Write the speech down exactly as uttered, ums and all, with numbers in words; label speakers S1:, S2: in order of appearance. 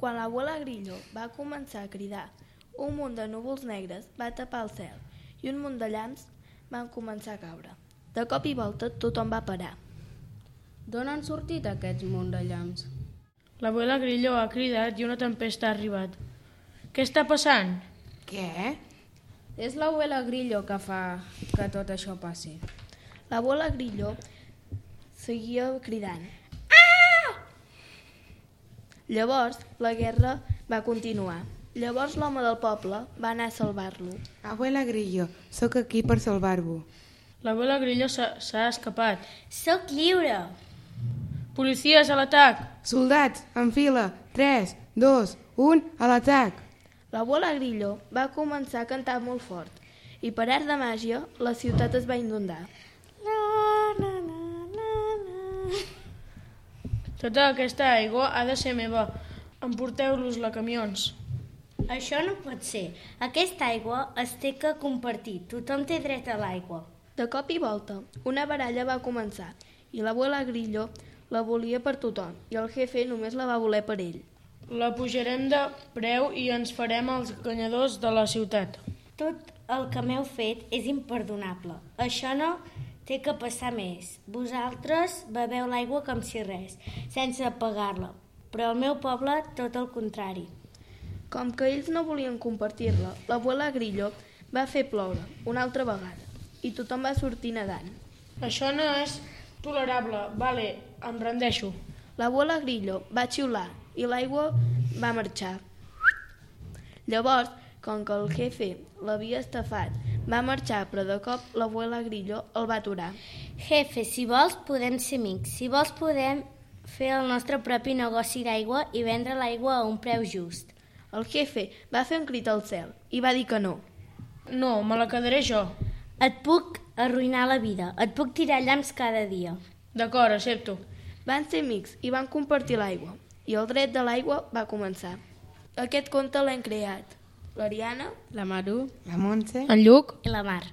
S1: Quan l'abuela Grillo va començar a cridar, un munt de núvols negres va tapar el cel i un munt de llamps van començar a caure. De cop i volta tothom va parar.
S2: D'on han sortit aquests munt de llamps?
S3: L'abuela Grillo ha cridat i una tempesta ha arribat. Què està passant?
S4: Què?
S2: És l'abuela Grillo que fa que tot això passi.
S1: L'abuela Grillo seguia cridant. Llavors, la guerra va continuar. Llavors l'home del poble va anar a salvar-lo.
S4: Abuela Grillo, sóc aquí per salvar-vos.
S3: L'abuela Grillo s'ha escapat.
S5: Sóc lliure!
S3: Policies, a l'atac!
S4: Soldats, en fila! tres, dos, un, a l'atac!
S1: L'abuela Grillo va començar a cantar molt fort i per art de màgia la ciutat es va inundar.
S3: Tota aquesta aigua ha de ser meva. Emporteu-los-la, camions.
S5: Això no pot ser. Aquesta aigua es té que compartir. Tothom té dret a l'aigua.
S1: De cop i volta, una baralla va començar i l'abuela Grillo la volia per tothom i el jefe només la va voler per ell.
S3: La pujarem de preu i ens farem els guanyadors de la ciutat.
S5: Tot el que m'heu fet és imperdonable. Això no té que passar més. Vosaltres beveu l'aigua com si res, sense pagar-la. Però al meu poble, tot el contrari.
S1: Com que ells no volien compartir-la, l'abuela Grillo va fer ploure una altra vegada i tothom va sortir nedant.
S3: Això no és tolerable. Vale, em rendeixo.
S1: L'abuela Grillo va xiular i l'aigua va marxar. Llavors, com que el jefe l'havia estafat, va marxar, però de cop l'abuela Grillo el va aturar.
S5: Jefe, si vols podem ser amics. Si vols podem fer el nostre propi negoci d'aigua i vendre l'aigua a un preu just.
S1: El jefe va fer un crit al cel i va dir que no.
S3: No, me la quedaré jo.
S5: Et puc arruïnar la vida. Et puc tirar llamps cada dia.
S3: D'acord, accepto.
S1: Van ser amics i van compartir l'aigua. I el dret de l'aigua va començar. Aquest conte l'hem creat l'Ariana,
S2: La Maru,
S4: La Montse,
S3: En Lluc?
S5: I la mar.